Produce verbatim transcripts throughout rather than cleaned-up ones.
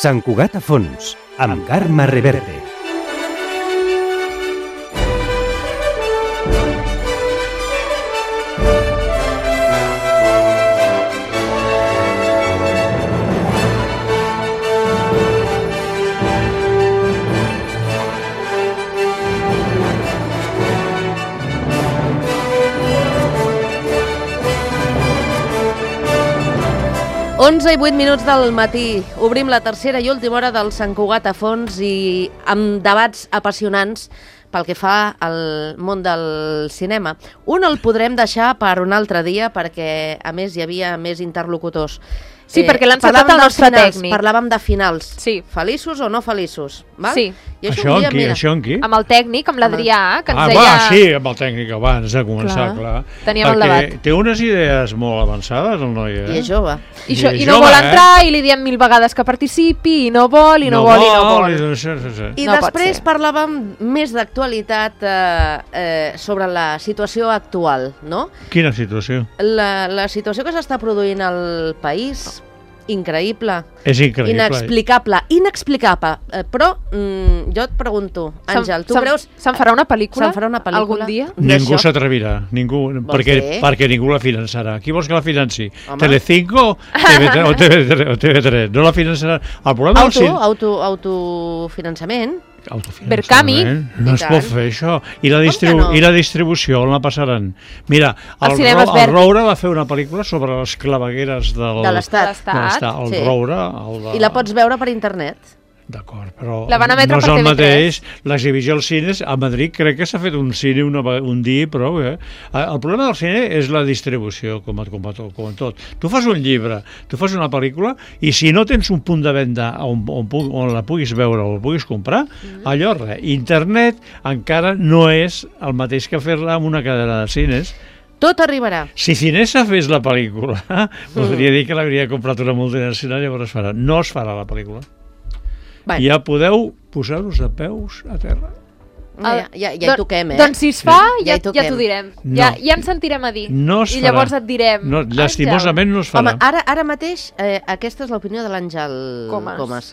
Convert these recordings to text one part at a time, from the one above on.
Sant Cugat a fons, amb Carme Reverte. onze i vuit minuts del matí. Obrim la tercera i última hora del Sant Cugat a fons i amb debats apassionants pel que fa al món del cinema. Un el podrem deixar per un altre dia perquè, a més, hi havia més interlocutors. Sí, eh, perquè l'ha encetat el nostre finals, tècnic. Parlàvem de finals. Sí. Feliços o no feliços. Val? Sí. I això, això, un dia, amb qui, mira, això amb qui? Amb el tècnic, amb l'Adrià, que ens ah, deia... va, sí, amb el tècnic abans de començar, clar. clar. Teníem perquè el debat. té unes idees molt avançades, el noi, eh? I és jove. I, això, I i no jove, vol eh? entrar, i li diem mil vegades que participi, i no vol, i no, no vol, i no vol. I, sí, sí, sí. I No pot després ser. parlàvem més d'actualitat eh, eh, sobre la situació actual, no? Quina situació? La, la situació que s'està produint al país, increïble, És increïble. inexplicable, inexplicable. Eh, però mm, jo et pregunto, Àngel, tu Se'n- creus... Se'n farà una pel·lícula? Se'n farà una pel·lícula? Algun dia? Ningú d'això? s'atrevirà, ningú, perquè, fer? perquè ningú la finançarà. Qui vols que la financi? Home. Telecinco T V tres, o T V tres, o T V tres? No la finançarà. El problema Auto, del cine... auto, autofinançament. Autofinançament. Berkami. No I es tant. pot fer això. I la, Com distribu que no? I la distribució on la passaran? Mira, Els el, cinemes Ro el Verdi. Roure va fer una pel·lícula sobre les clavegueres del... De l'Estat. De l'Estat. de l'Estat. El Sí. Roure... El de... I la pots veure per internet. D'acord, però La van emetre no és per el T V tres. mateix. L'exhibició als cines, a Madrid crec que s'ha fet un cine una, ve- un dia i prou. Eh? El problema del cine és la distribució, com, a- com, a tot, com a tot. Tu fas un llibre, tu fas una pel·lícula, i si no tens un punt de venda on, on, pu- on la puguis veure o la puguis comprar, mm. allò res. Internet encara no és el mateix que fer-la en una cadena de cines. Tot arribarà. Si Cinesa fes la pel·lícula, podria dir que l'hauria comprat una multinacional i llavors es farà. No es farà la pel·lícula. Bueno, Ja podeu posar-vos de peus a terra. ja, ja, ja hi Don- toquem, eh? Doncs si es fa, Ja ja, hi ja toquem. t'ho direm. No. Ja, ja ens sentirem a dir. No es I farà. llavors et direm... No, llastimosament no es farà. Home, ara, ara mateix, eh, aquesta és l'opinió de l'Àngel Comas. Comas.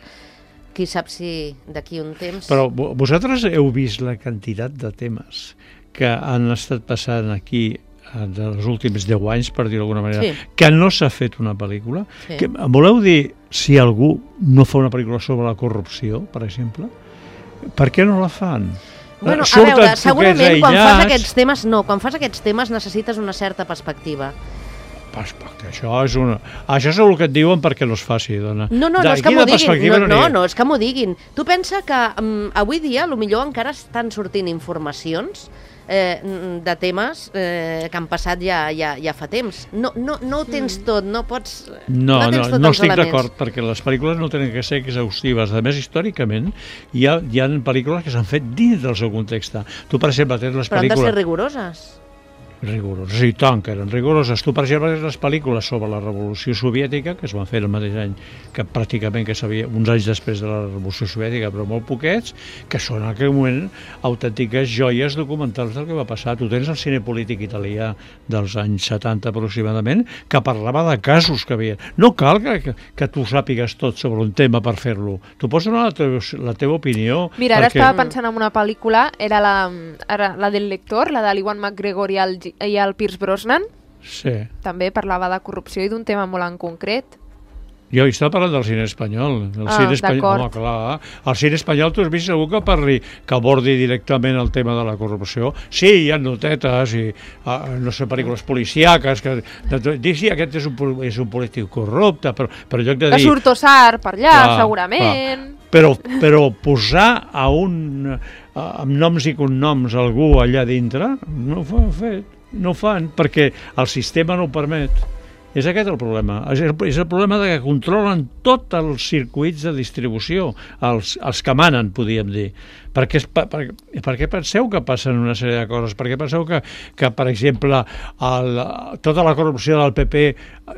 Qui sap si d'aquí un temps... Però vo- vosaltres heu vist la quantitat de temes que han estat passant aquí eh, dels últims deu anys, per dir-ho d'alguna manera, Sí. que no s'ha fet una pel·lícula? Sí. Que, em voleu dir si algú no fa una pel·lícula sobre la corrupció, per exemple? Per què no la fan? Bueno, Eh, a surten veure, poquets segurament quan fas aïllats. aquests temes, no, quan fas aquests temes necessites una certa perspectiva. Perspectiva, això és una... Això és el que et diuen perquè no es faci, dona. No, no, De no és que quina m'ho diguin, perspectiva no, n'hi no, ha? no, és que m'ho diguin. Tu pensa que um, avui dia, millor encara estan sortint informacions eh, de temes eh, que han passat ja, ja, ja fa temps. No, no, no ho tens tot, no pots... No, no, tens no, tots no els estic elements. d'acord, perquè les pel·lícules no tenen que ser exhaustives. A més, històricament, hi ha, hi ha pel·lícules que s'han fet dins del seu context. Tu, per exemple, tens les Però han de ser pel·lícules... rigoroses. Rigoroses, i tant que eren rigoroses. Tu, per exemple, tens les pel·lícules sobre la Revolució Soviètica, que es van fer el mateix any, que pràcticament que sabia, uns anys després de la Revolució Soviètica, però molt poquets, que són en aquell moment autèntiques joies documentals del que va passar. Tu tens el cine polític italià dels anys setanta aproximadament, que parlava de casos que havia. No cal que, que, que tu sàpigues tot sobre un tema per fer-lo. Tu pots donar la, teva, la teva opinió. Mira, ara perquè... estava pensant en una pel·lícula, era la, era la del lector, la de l'Iwan McGregor i el, i el Pierce Brosnan. Sí. També parlava de corrupció i d'un tema molt en concret. Jo estava parlant del cine espanyol. El Ah, cine espanyol, d'acord. home, clar. El cine espanyol, tu has vist segur que parli, que abordi directament el tema de la corrupció. Sí, hi ha notetes i, uh, no sé, pel·lícules policíaques, que de, dir, sí, aquest és un, pol- és un polític corrupte, però, però en lloc de Que dir... surt Tossar per allà, Clar, segurament. Però, però posar a un, a, amb noms i cognoms algú allà dintre, no ho fan fet, no ho fan, perquè el sistema no ho permet. És aquest el problema. És el, és el problema de que controlen tots els circuits de distribució, els, els que manen, podríem dir. Perquè, per, per, per què penseu que passen una sèrie de coses? Per què penseu que, que per exemple, el, tota la corrupció del P P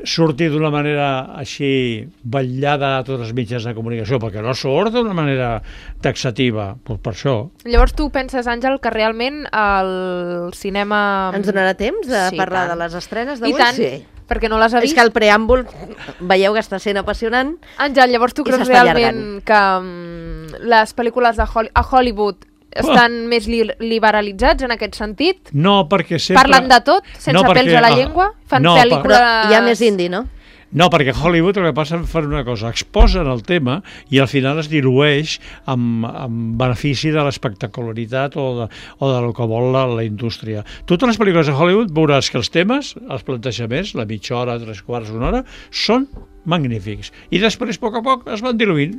surti d'una manera així vetllada a tots els mitjans de comunicació? Perquè no surt d'una manera taxativa, doncs per això. Llavors tu penses, Àngel, que realment el cinema... Ens donarà temps de Sí, parlar tant. de les estrenes I d'avui? tant. Sí. perquè no les ha És vist. que el preàmbul, veieu que està sent apassionant. Àngel, llavors tu I creus s'està realment que um, les pel·lícules de Holly a Hollywood estan més li liberalitzats en aquest sentit? No, perquè sempre... Parlen de tot, sense No, perquè- pèls a la ah, llengua? Fan no, Però pel·lícules... hi ha més indi, no? No, perquè Hollywood el que passa fan una cosa, exposen el tema i al final es dilueix amb, amb benefici de l'espectacularitat o de, o de lo que vol la, la indústria. Totes les pel·lícules de Hollywood veuràs que els temes, els plantejaments, la mitja hora, tres quarts, una hora, són magnífics. I després, a poc a poc, es van diluint.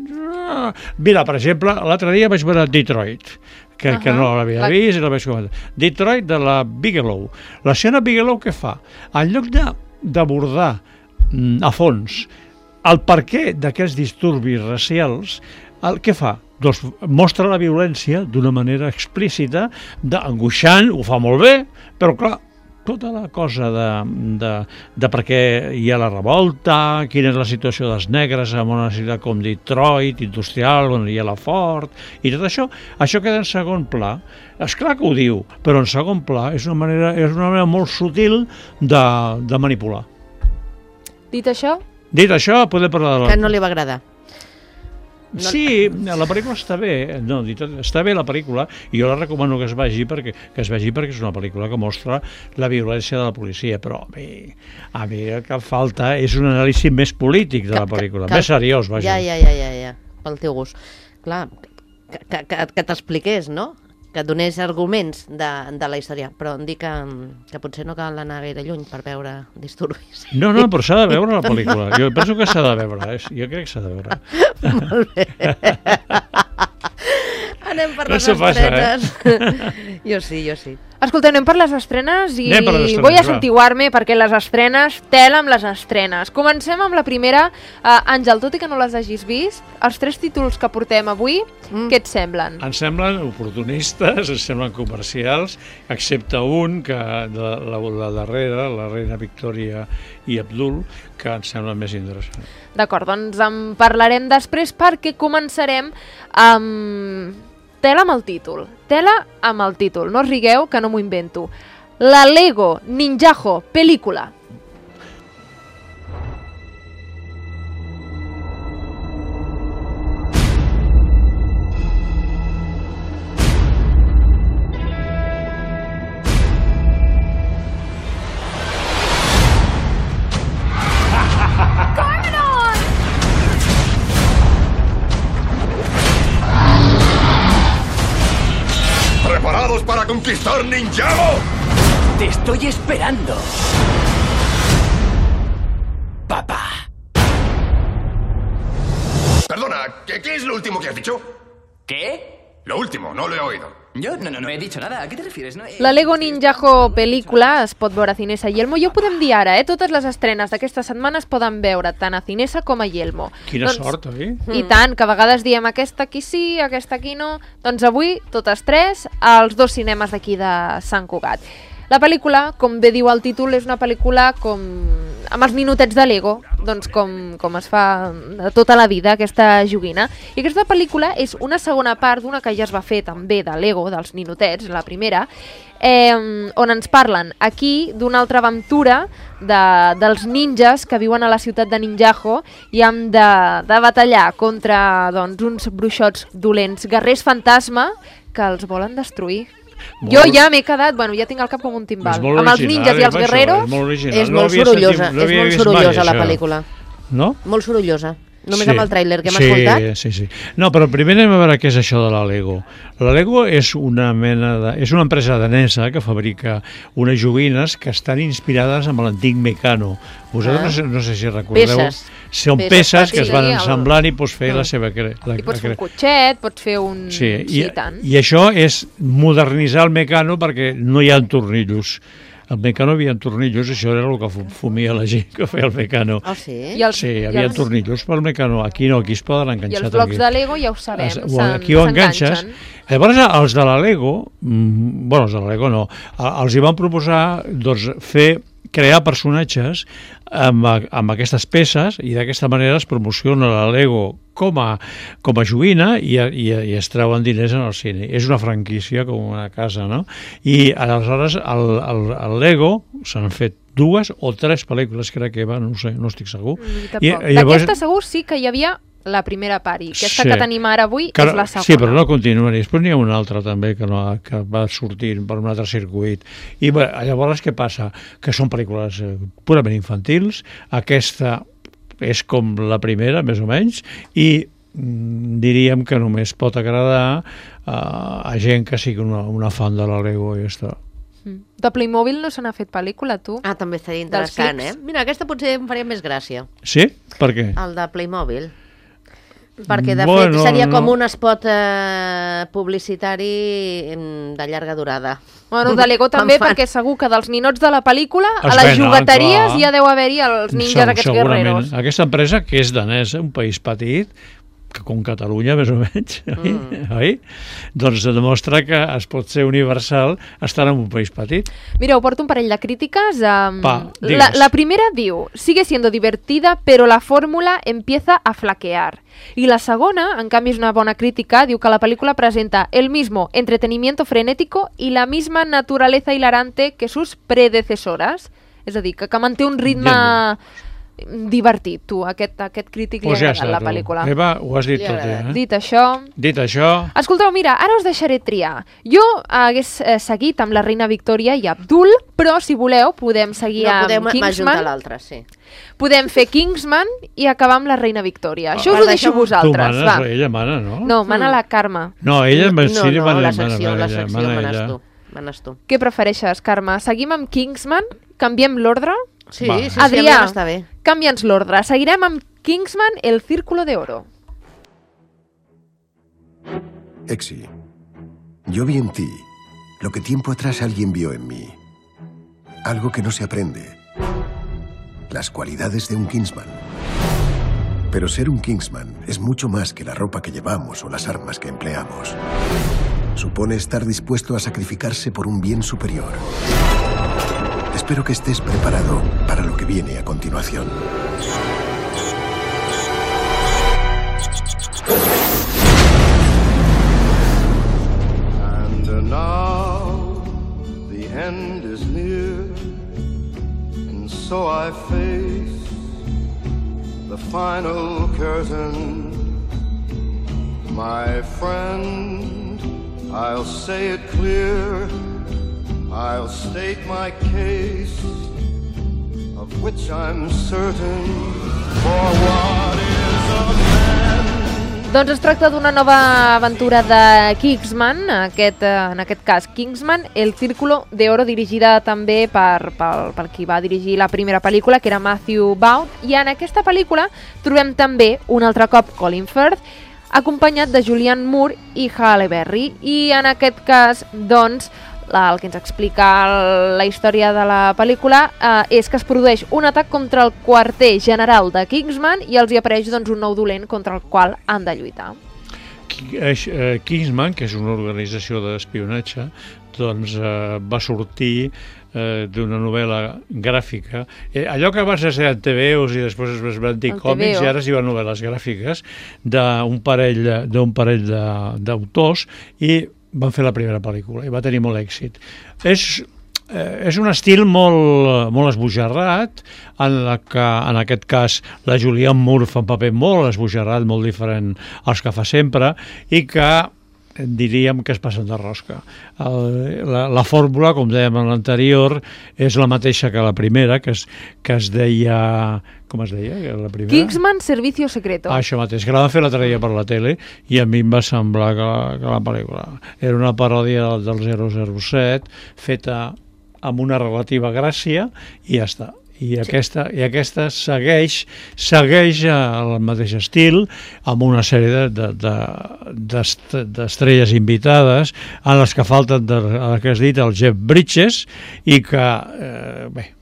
Ah, mira, per exemple, l'altre dia vaig veure Detroit, que, uh -huh. que no l'havia La- vist i la vaig comentar. Detroit de la Bigelow. La senyora Bigelow què fa? En lloc de d'abordar mm, a fons el perquè d'aquests disturbis racials, el què fa? Doncs mostra la violència d'una manera explícita, d'angoixant, ho fa molt bé, però clar, tota la cosa de, de, de per què hi ha la revolta, quina és la situació dels negres en una ciutat com Detroit, industrial, on hi ha la Ford, i tot això, això queda en segon pla. És clar que ho diu, però en segon pla és una manera, és una manera molt sutil de, de manipular. Dit això, Dit això, podem parlar de la... Que no li va agradar. No- Sí, la pel·lícula està bé, no, dit, està bé la pel·lícula, i jo la recomano que es vegi perquè que es vegi perquè és una pel·lícula que mostra la violència de la policia, però a mi, a mi el que falta és un anàlisi més polític de la pel·lícula, que- més seriós, vaja. Ja, ja, ja, ja, ja, pel teu gust. Clar, que, que, que, que t'expliqués, no? Que et donés arguments de, de la història, però em dic que, que potser no cal anar gaire lluny per veure disturbis. No, no, però s'ha de veure la pel·lícula. Jo penso que s'ha de veure, eh? Jo crec que s'ha de veure. Molt bé. Anem per No les s'ho passa, estrenes. Jo sí, jo sí. escolta, anem per les estrenes i Anem per les estrenes, vull va. asantiguar-me perquè les estrenes, tela amb les estrenes. Comencem amb la primera. Uh, Àngel, tot i que no les hagis vist, els tres títols que portem avui, Mm. què et semblen? Ens semblen oportunistes, ens semblen comercials, excepte un, que de la, la darrera, la reina Victòria i Abdul, que ens semblen més interessants. D'acord, doncs en parlarem després perquè començarem amb... Tela amb el títol. Tela amb el títol. No us rigueu, que no m'ho invento. La Lego Ninjago pel·lícula. ¿Preparados para conquistar Ninjago? Te estoy esperando. Papá. Perdona, ¿qué, ¿qué es lo último que has dicho? ¿Qué? Lo último, no lo he oído. Yo no, no, no he dicho nada. ¿A qué te refieres? No he- La Lego Ninjago pel·lícula es pot veure a Cinesa i Yelmo. Ja ho podem dir ara, eh? Totes les estrenes d'aquesta setmana es poden veure tant a Cinesa com a Yelmo. Quina doncs, sort, oi? I tant, que a vegades diem aquesta aquí sí, aquesta aquí no. Doncs avui, totes tres, als dos cinemes d'aquí de Sant Cugat. La pel·lícula, com bé diu el títol, és una pel·lícula com amb els minutets de Lego, doncs com, com es fa de tota la vida, aquesta joguina. I aquesta pel·lícula és una segona part d'una que ja es va fer també de Lego, dels ninotets, la primera, eh, on ens parlen aquí d'una altra aventura de, dels ninjas que viuen a la ciutat de Ninjago i han de, de batallar contra doncs, uns bruixots dolents, guerrers fantasma, que els volen destruir. Molt- Jo ja m'he quedat, bueno, ja tinc el cap com un timbal. És molt Amb els original, ninjas i els eh, això, guerreros, És molt original. És No molt havia sorollosa, sentit- no és havia molt vist mai sorollosa la això. pel·lícula. No? Molt sorollosa. Només Sí. amb el tràiler que hem sí, escoltat. Sí, sí. No, però primer anem a veure què és això de la Lego. La Lego és una mena de... és una empresa danesa que fabrica unes joguines que estan inspirades amb l'antic Mecano. Vosaltres Ah. no, sé, no sé si recordeu... Peces. Són Peces, peces, que es sí, van el- ensamblant i pots fer Mm. la seva... Cre... La, i pots la fer un cre- cotxet, pots fer un... Sí, i, i tant. i això és modernitzar el Mecano perquè no hi ha tornillos. El Mecano havia tornillos, això era el que fu- fumia la gent que feia el Mecano. Oh, sí? I els, Sí, hi i havia els, tornillos pel Mecano. Aquí no, aquí es poden I enganxar. els blocs tranquil. de Lego ja ho sabem, Es- s'en- aquí ho enganxes. s'enganxen. Llavors, els de la Lego, mm, bueno, els de la Lego no, a- els hi van proposar doncs, fer crear personatges amb, a- amb aquestes peces i d'aquesta manera es promociona la Lego com a, com a joguina i, i, i es treuen diners en el cine. És una franquícia com una casa, no? I aleshores el, el, el Lego s'han fet dues o tres pel·lícules, crec que va, no sé, no estic segur. Mm, I, i llavors... D'aquesta segur sí que hi havia la primera part, i aquesta sí. que tenim ara avui que, és la segona. Sí, però no continuen. I després n'hi ha una altra també que, no, que va sortint per un altre circuit. I bé, llavors què passa? Que són pel·lícules eh, purament infantils. Aquesta és com la primera, més o menys, i mm, diríem que només pot agradar uh, a gent que sigui una, una fan de la Lego i ja està. De Playmobil no se n'ha fet pel·lícula, tu? Ah, també estaria interessant, eh? Mira, aquesta potser em faria més gràcia. Sí? Per què? El de Playmobil. Perquè, de bueno, fet, seria no. com un spot eh, publicitari de llarga durada. Bueno, de Lego també, perquè segur que dels ninots de la pel·lícula, es a les venen, jugueteries clar. Ja deu haver-hi els ninjas Segur, aquests segurament. guerreros. Aquesta empresa, que és danesa, un país petit, que com Catalunya, més o menys, mm. oi? Doncs demostra que es pot ser universal estant en un país petit. Mira, ho porto un parell de crítiques. Um, Va, la, la primera diu: sigue siendo divertida, pero la fórmula empieza a flaquear. I la segona, en canvi, és una bona crítica, diu que la pel·lícula presenta el mismo entretenimiento frenético y la misma naturaleza hilarante que sus predecesoras. És a dir, que, que manté un ritme... Ja divertit, tu, aquest, aquest crític pues li ha ja agradat la pel·lícula. Eva, ho has dit tot ja, eh? Dit això... Dit això... Escolteu, mira, ara us deixaré triar. Jo hagués eh, seguit amb la reina Victòria i Abdul, però si voleu podem seguir no, amb podem Kingsman. l'altre, sí. Podem fer Kingsman i acabar amb la reina Victòria. Això Ah, us ho deixo a vosaltres. Tu manes, va. ella mana, no? No, mana la Carme. No, ella no, sí, no, mana, la secció, mana, la secció mana, manes ella. tu. Manes tu. Què prefereixes, Carme? Seguim amb Kingsman? Canviem l'ordre? Sí, Va. sí, sí, Adrià, a mi m'està bé. canvia'ns l'ordre. Seguirem amb Kingsman, el Círculo de Oro. Exi, yo vi en ti lo que tiempo atrás alguien vio en mí. Algo que no se aprende. Las cualidades de un Kingsman. Pero ser un Kingsman es mucho más que la ropa que llevamos o las armas que empleamos. Supone estar dispuesto a sacrificarse por un bien superior. Espero que estés preparado para lo que viene a continuación. And now the end is near, and so I face the final curtain. My friend, I'll say it clear, I'll state my case, of which I'm certain, for what is a man? Doncs es tracta d'una nova aventura de Kingsman, aquest, en aquest cas Kingsman, el Círculo de Oro, dirigida també per, per, per qui va dirigir la primera pel·lícula, que era Matthew Vaughn, i en aquesta pel·lícula trobem també un altre cop Colin Firth, acompanyat de Julianne Moore i Halle Berry, i en aquest cas, doncs, el que ens explica la història de la pel·lícula eh, és que es produeix un atac contra el quarter general de Kingsman i els hi apareix doncs, un nou dolent contra el qual han de lluitar. Kingsman, que és una organització d'espionatge, doncs eh, va sortir eh, d'una novel·la gràfica. Eh, allò que abans es deia T V Os i després es van dir còmics, i ara es diuen novel·les gràfiques, d'un parell, d'un parell d'autors, i van fer la primera pel·lícula i va tenir molt èxit. És, eh, és un estil molt, molt esbojarrat, en la que, en aquest cas, la Julianne Moore fa un paper molt esbojarrat, molt diferent als que fa sempre, i que diríem que es passen de rosca. El, la, la fórmula, com dèiem en l'anterior, és la mateixa que la primera, que es, que es deia... Com es deia? La primera? Kingsman Servicio Secreto. Ah, això mateix, que la van fer l'altre dia per la tele i a mi em va semblar que la, que la pel·lícula era una paròdia del zero zero set feta amb una relativa gràcia i ja està. I aquesta, i aquesta segueix, segueix el mateix estil amb una sèrie d'estrelles de, de, invitades en les que falten, de, el que has dit, el Jeff Bridges, i que, eh, bé,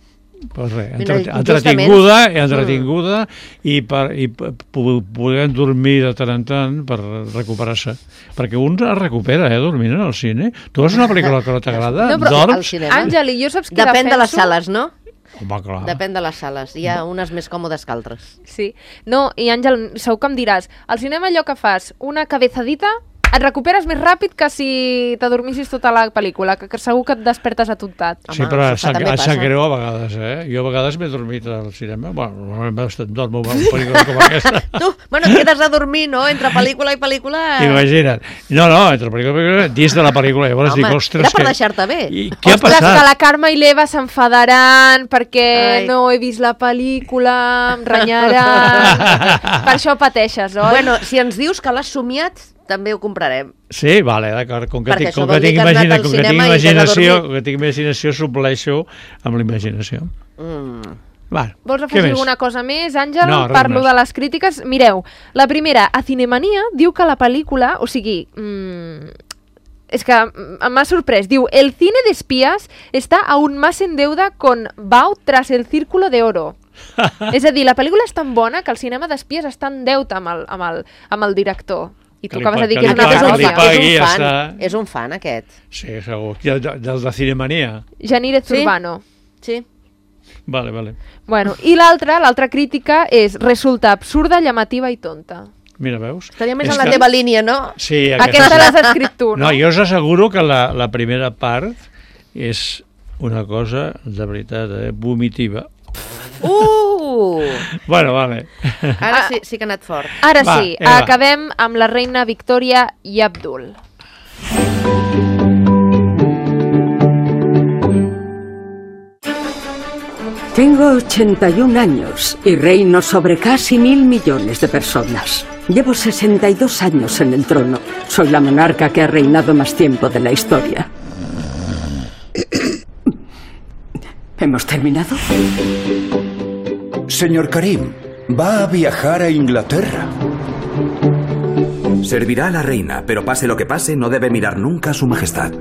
pues res, entretinguda, entretinguda i, per, i podem dormir de tant en tant per recuperar-se, perquè un es recupera, eh, dormint en el cine. Tu veus una pel·lícula que no t'agrada, no, però, dorms... Àngel, i jo saps què Depèn defenso? de les sales, no? Home, clar. Depèn de les sales. Hi ha unes més còmodes que altres. Sí. No, i Àngel, segur que em diràs, al cinema allò que fas, una cabezadita, et recuperes més ràpid que si t'adormissis tota la pel·lícula, que, que segur que et despertes atontat. Sí, però em sap, em sap greu a vegades, eh? Jo a vegades m'he dormit al cinema. Bueno, normalment estat dormo amb una pel·lícula com aquesta. Tu, bueno, et quedes a dormir, no?, entre pel·lícula i pel·lícula... Imagina't. No, no, entre pel·lícula i pel·lícula, dins de la pel·lícula. Llavors Home, dic, ostres... era per que... deixar-te bé. I què ostres, ha passat? que la Carme i l'Eva s'enfadaran perquè Ai. no he vist la pel·lícula, em renyaran... Per això pateixes, oi? Bueno, si ens dius que l'has somiat, també ho comprarem. Sí, vale, d'acord. Com que Perquè tinc, això com vol que dir tinc, que has anat imagina, al com que tinc cinema i t'has imaginació, adormit. com que tinc imaginació, supleixo amb la imaginació. Mm. Vale. Vols Què afegir més? alguna cosa més, Àngel? No, res Parlo més. de les crítiques. Mireu, la primera, a Cinemania, diu que la pel·lícula, o sigui... Mmm, es que m'ha sorprès. Diu, el cine de espías está aún más en deuda con Bao tras el Círculo de Oro. És a dir, la pel·lícula és tan bona que el cinema d'espies està en deute amb el, amb el, amb el director. I tu Que li acabes de dir pa- que és que una li és, pa- un que li vergonya. fan, pagui, és ja un fan, està. és un fan, aquest. Sí, segur. Del de, de, de Cinemania. Janírez Sí? Urbano. Sí. Vale, vale. Bueno, i l'altra, l'altra crítica és resulta absurda, llamativa i tonta. Mira, veus? Estaria més És en la que- teva línia, no? Sí, Aquesta l'has escrit tu, no? No, jo us asseguro que la, la primera part és una cosa, de veritat, eh, vomitiva. Uh! Bueno, vale. Ara sí, sí que ha anat fort. Ara Va, sí, Eva. acabem amb la reina Victòria i Abdul. Tengo ochenta y un años y reino sobre casi mil millones de personas. Llevo sesenta y dos años en el trono. Soy la monarca que ha reinado más tiempo de la historia. ¿Hemos terminado? Señor Karim, va a viajar a Inglaterra. Servirá a la reina, pero pase lo que pase, no debe mirar nunca a su majestad.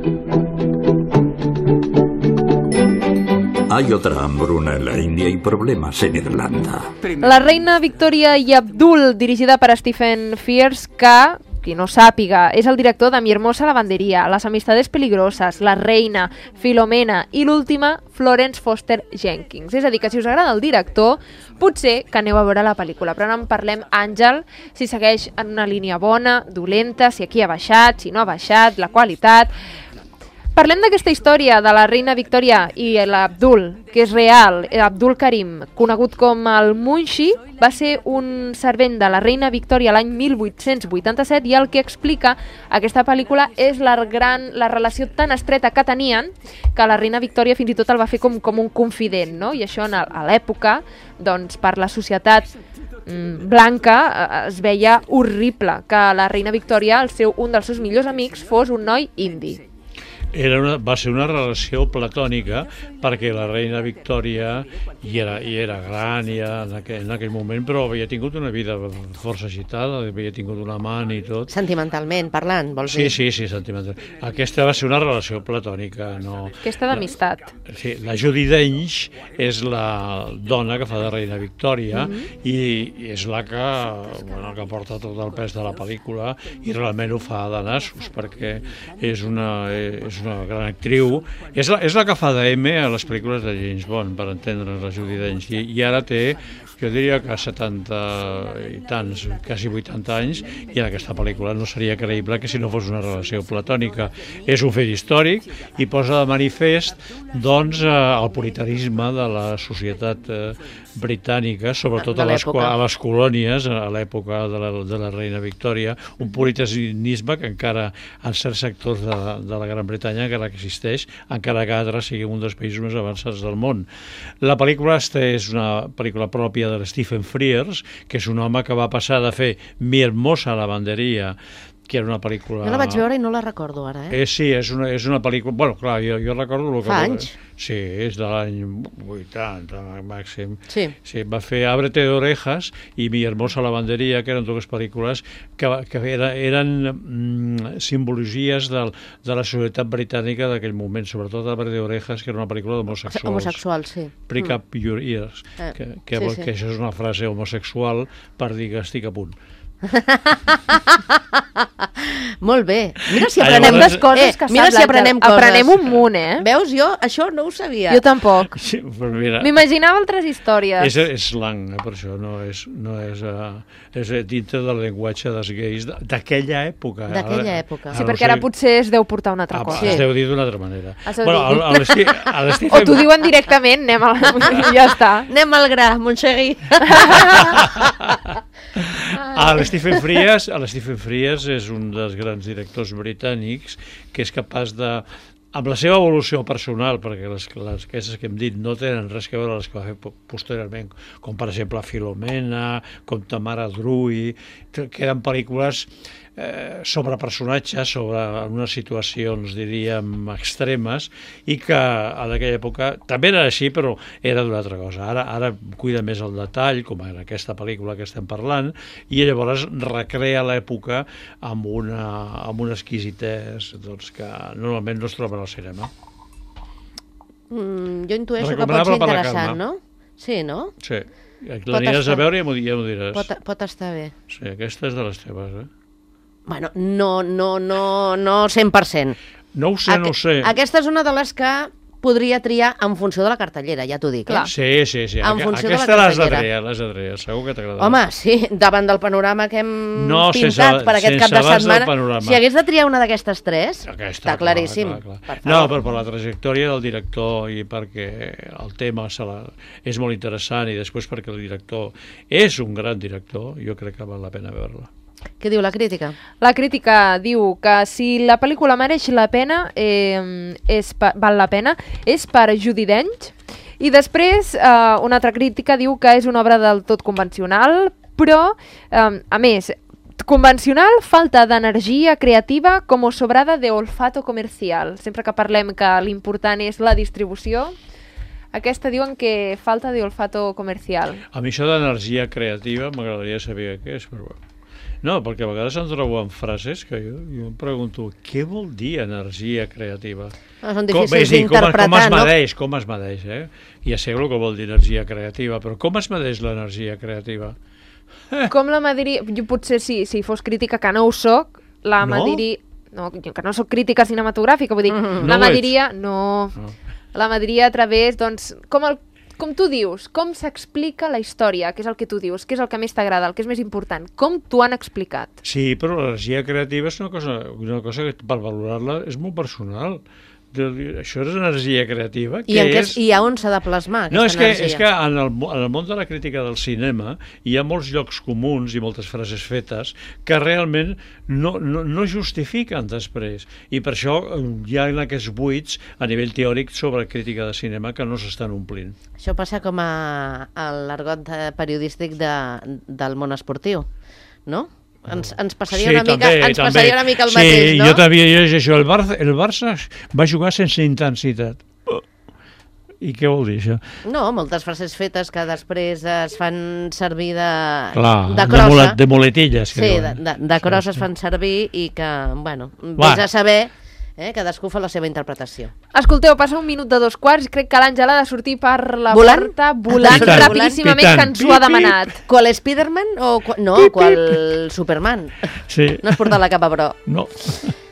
Hay otra hambruna en la India y problemas en Irlanda. La reina Victòria i Abdul, dirigida per Stephen Frears, que, qui no sàpiga, és el director de Mi hermosa lavanderia, Las amistades peligroses, La reina, Filomena i l'última, Florence Foster Jenkins. És a dir, que si us agrada el director, potser que aneu a veure la pel·lícula, però no en parlem, Àngel, si segueix en una línia bona, dolenta, si aquí ha baixat, si no ha baixat, la qualitat... Parlem d'aquesta història de la reina Victòria i l'Abdul, que és real. Abdul Karim, conegut com el Munshi, va ser un servent de la reina Victòria l'any mil vuit-cents vuitanta-set i el que explica aquesta pel·lícula és la, gran, la relació tan estreta que tenien que la reina Victòria fins i tot el va fer com, com un confident, no? I això en, a l'època, doncs, per la societat mm, blanca eh, es veia horrible que la reina Victòria, el seu, un dels seus millors amics, fos un noi indi. Era una, va ser una relació platònica perquè la reina Victòria hi era, hi era gran ja en, aquell, en aquell moment, però havia tingut una vida força agitada, havia tingut un amant i tot. Sentimentalment parlant, vols Sí, dir? sí, sí, sentimental. Aquesta va ser una relació platònica. No... Aquesta d'amistat. Sí, la Judi Dench és la dona que fa de reina Victòria Mhm. i, i és la que, bueno, que porta tot el pes de la pel·lícula i realment ho fa de nassos perquè és una, és una gran actriu. És la, és la que fa de M a les pel·lícules de James Bond, per entendre la Judi Dench. I, i ara té, jo diria que setanta i tants, quasi vuitanta anys, i en aquesta pel·lícula no seria creïble que si no fos una relació platònica. És un fet històric i posa de manifest doncs, el puritanisme de la societat eh, britànica, sobretot De a les, l'època. a les colònies, a l'època de, la, de la reina Victòria, un puritanisme que encara en certs sectors de, de la Gran Bretanya encara que existeix, encara que ara sigui un dels països més avançats del món. La pel·lícula esta és una pel·lícula pròpia de Stephen Frears, que és un home que va passar de fer Mi hermosa lavanderia, que era una pel·lícula... Jo la vaig veure i no la recordo ara, eh? Eh, sí, és una, és una pel·lícula... Bueno, clar, jo, jo recordo... El que Fa va- anys. Sí, és de l'any vuitanta, màxim. Sí. Sí, va fer Ábrete de orejas i Mi hermosa lavanderia, que eren dues pel·lícules que, que era, eren mm, simbologies del, de la societat britànica d'aquell moment, sobretot Ábrete de orejas, que era una pel·lícula d'homosexuals. Homosexual, sí. Prick Mm. up your ears, Eh, que, que, sí, vol- sí. que això és una frase homosexual per dir que estic a punt. Molt bé. Mira si Ah, aprenem llavors- les coses Eh, que mira saps, si l'Àngel. aprenem coses. Aprenem un munt, eh? Veus, jo això no ho sabia. Jo tampoc. Sí, però mira, M'imaginava altres històries. és, és slang, eh, per això, no és, no és, uh, és dintre del llenguatge dels gais de- d'aquella època. D'aquella Ara- època. Sí, ara perquè no ara sé- potser es deu portar una altra Ah, cosa. es deu dir d'una altra manera. Es deu Bueno, dir. a l'Esti- a l'Esti O t'ho fem- diuen directament, anem a la... ja està. Anem al gra, Montserrat. A l'Stephen Frears, a l'Stephen Frears és un dels grans directors britànics que és capaç de, amb la seva evolució personal, perquè les, les aquestes que hem dit no tenen res a veure amb les que va fer po- posteriorment, com per exemple Filomena, com Tamara Drui, que eren pel·lícules eh, sobre personatges, sobre unes situacions, diríem, extremes, i que en aquella època també era així, però era d'una altra cosa. Ara, ara cuida més el detall, com en aquesta pel·lícula que estem parlant, i llavors recrea l'època amb una, amb una exquisitès doncs, que normalment no es troben al cinema. Mm, jo intueixo que pot Recomanable ser per la interessant, calma. no? Sí, no? Sí, Pot l'aniràs estar- a veure i ja m'ho ja m'ho diràs. Pot, pot estar bé. Sí, aquesta és de les teves, eh? Bueno, no, no, no, no cent per cent. No ho sé, no ho sé. Aquesta és una de les que podria triar en funció de la cartellera, ja t'ho dic. Eh? Sí, sí, sí. En Aqu- funció de la Aquesta l'has de cartellera. triar, l'has de triar, segur que t'agradarà. Home, sí, davant del panorama que hem No, pintat sense- per aquest sense cap de abans del setmana, panorama. si hagués de triar una d'aquestes tres, Aquesta, està claríssim. Clar, clar, clar. Per No, favor. però per la trajectòria del director i perquè el tema se la... és molt interessant i després perquè el director és un gran director, jo crec que val la pena veure-la. Què diu la crítica? La crítica diu que si la pel·lícula mereix la pena, eh, és pa, val la pena, és per Judi Dench. I després, eh, una altra crítica diu que és una obra del tot convencional, però, eh, a més, convencional, falta d'energia creativa com sobrada de olfato comercial. Sempre que parlem que l'important és la distribució, aquesta diuen que falta de olfato comercial. A mi això d'energia creativa m'agradaria saber què és, però bueno. No, perquè a vegades em trobo en frases que jo, jo em pregunto què vol dir energia creativa? Ah, són Com- difícils és a dir, com, d'interpretar, com es no? medeix, com es medeix, eh? Ja sé el que vol dir energia creativa, però com es medeix l'energia creativa? Com la mediria... Jo potser sí, si fos crítica, que no ho soc, la No? mediria... No, jo que no soc crítica cinematogràfica, vull dir, Mm-hmm. la No ho ets? mediria... No, No. la mediria a través, doncs, com, el, com tu dius, com s'explica la història, que és el que tu dius, que és el que més t'agrada, el que és més important, com t'ho han explicat. Sí, però l'energia creativa és una cosa, una cosa que per valorar-la és molt personal. De- Això és energia creativa. I, Què en què, és? I a on s'ha de plasmar aquesta No, és que, energia? és que en, el, mo- en el món de la crítica del cinema hi ha molts llocs comuns i moltes frases fetes que realment no, no, no justifiquen després. I per això eh, hi ha aquests buits a nivell teòric sobre crítica de cinema que no s'estan omplint. Això passa com a, a l'argot de- periodístic de, del món esportiu, no? Ens, ens passaria, una, mica, ens passaria una mica el sí, mateix, no? Sí, jo també llegeixo això. El Barça, el Barça va jugar sense intensitat. I què vol dir això? No, moltes frases fetes que després es fan servir de, Clar, de de, crossa. mulet, de muletilles. Que Sí, de, diuen. de, de crossa Sí, es fan servir i que, bueno, Va. vés a saber, eh, cadascú fa la seva interpretació. Escolteu, passa un minut de dos quarts i crec que l'Àngela ha de sortir per la Volant? porta, volant Pitant, rapidíssimament, pitant. que ens ho ha demanat. Qual Spiderman o... Qual, no, qual Superman? Sí. No has portat la capa, però... No.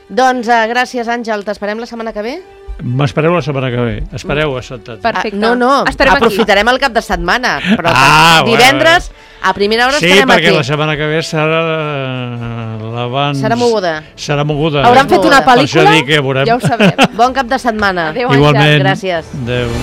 Doncs uh, gràcies, Àngel. T'esperem la setmana que ve? M'espereu la setmana que ve. Espereu assentats. Perfecte. Ah, no, no, Estarem aquí. aprofitarem el cap de setmana, però Ah, divendres a primera hora Sí, estarem perquè aquí. la setmana que ve serà l'abans... Serà moguda. Serà moguda. Hauran fet una Per això pel·lícula? dic que veurem. Ja ho sabem. Bon cap de setmana. Adéu, Àngel. Igualment. Gràcies. Adéu.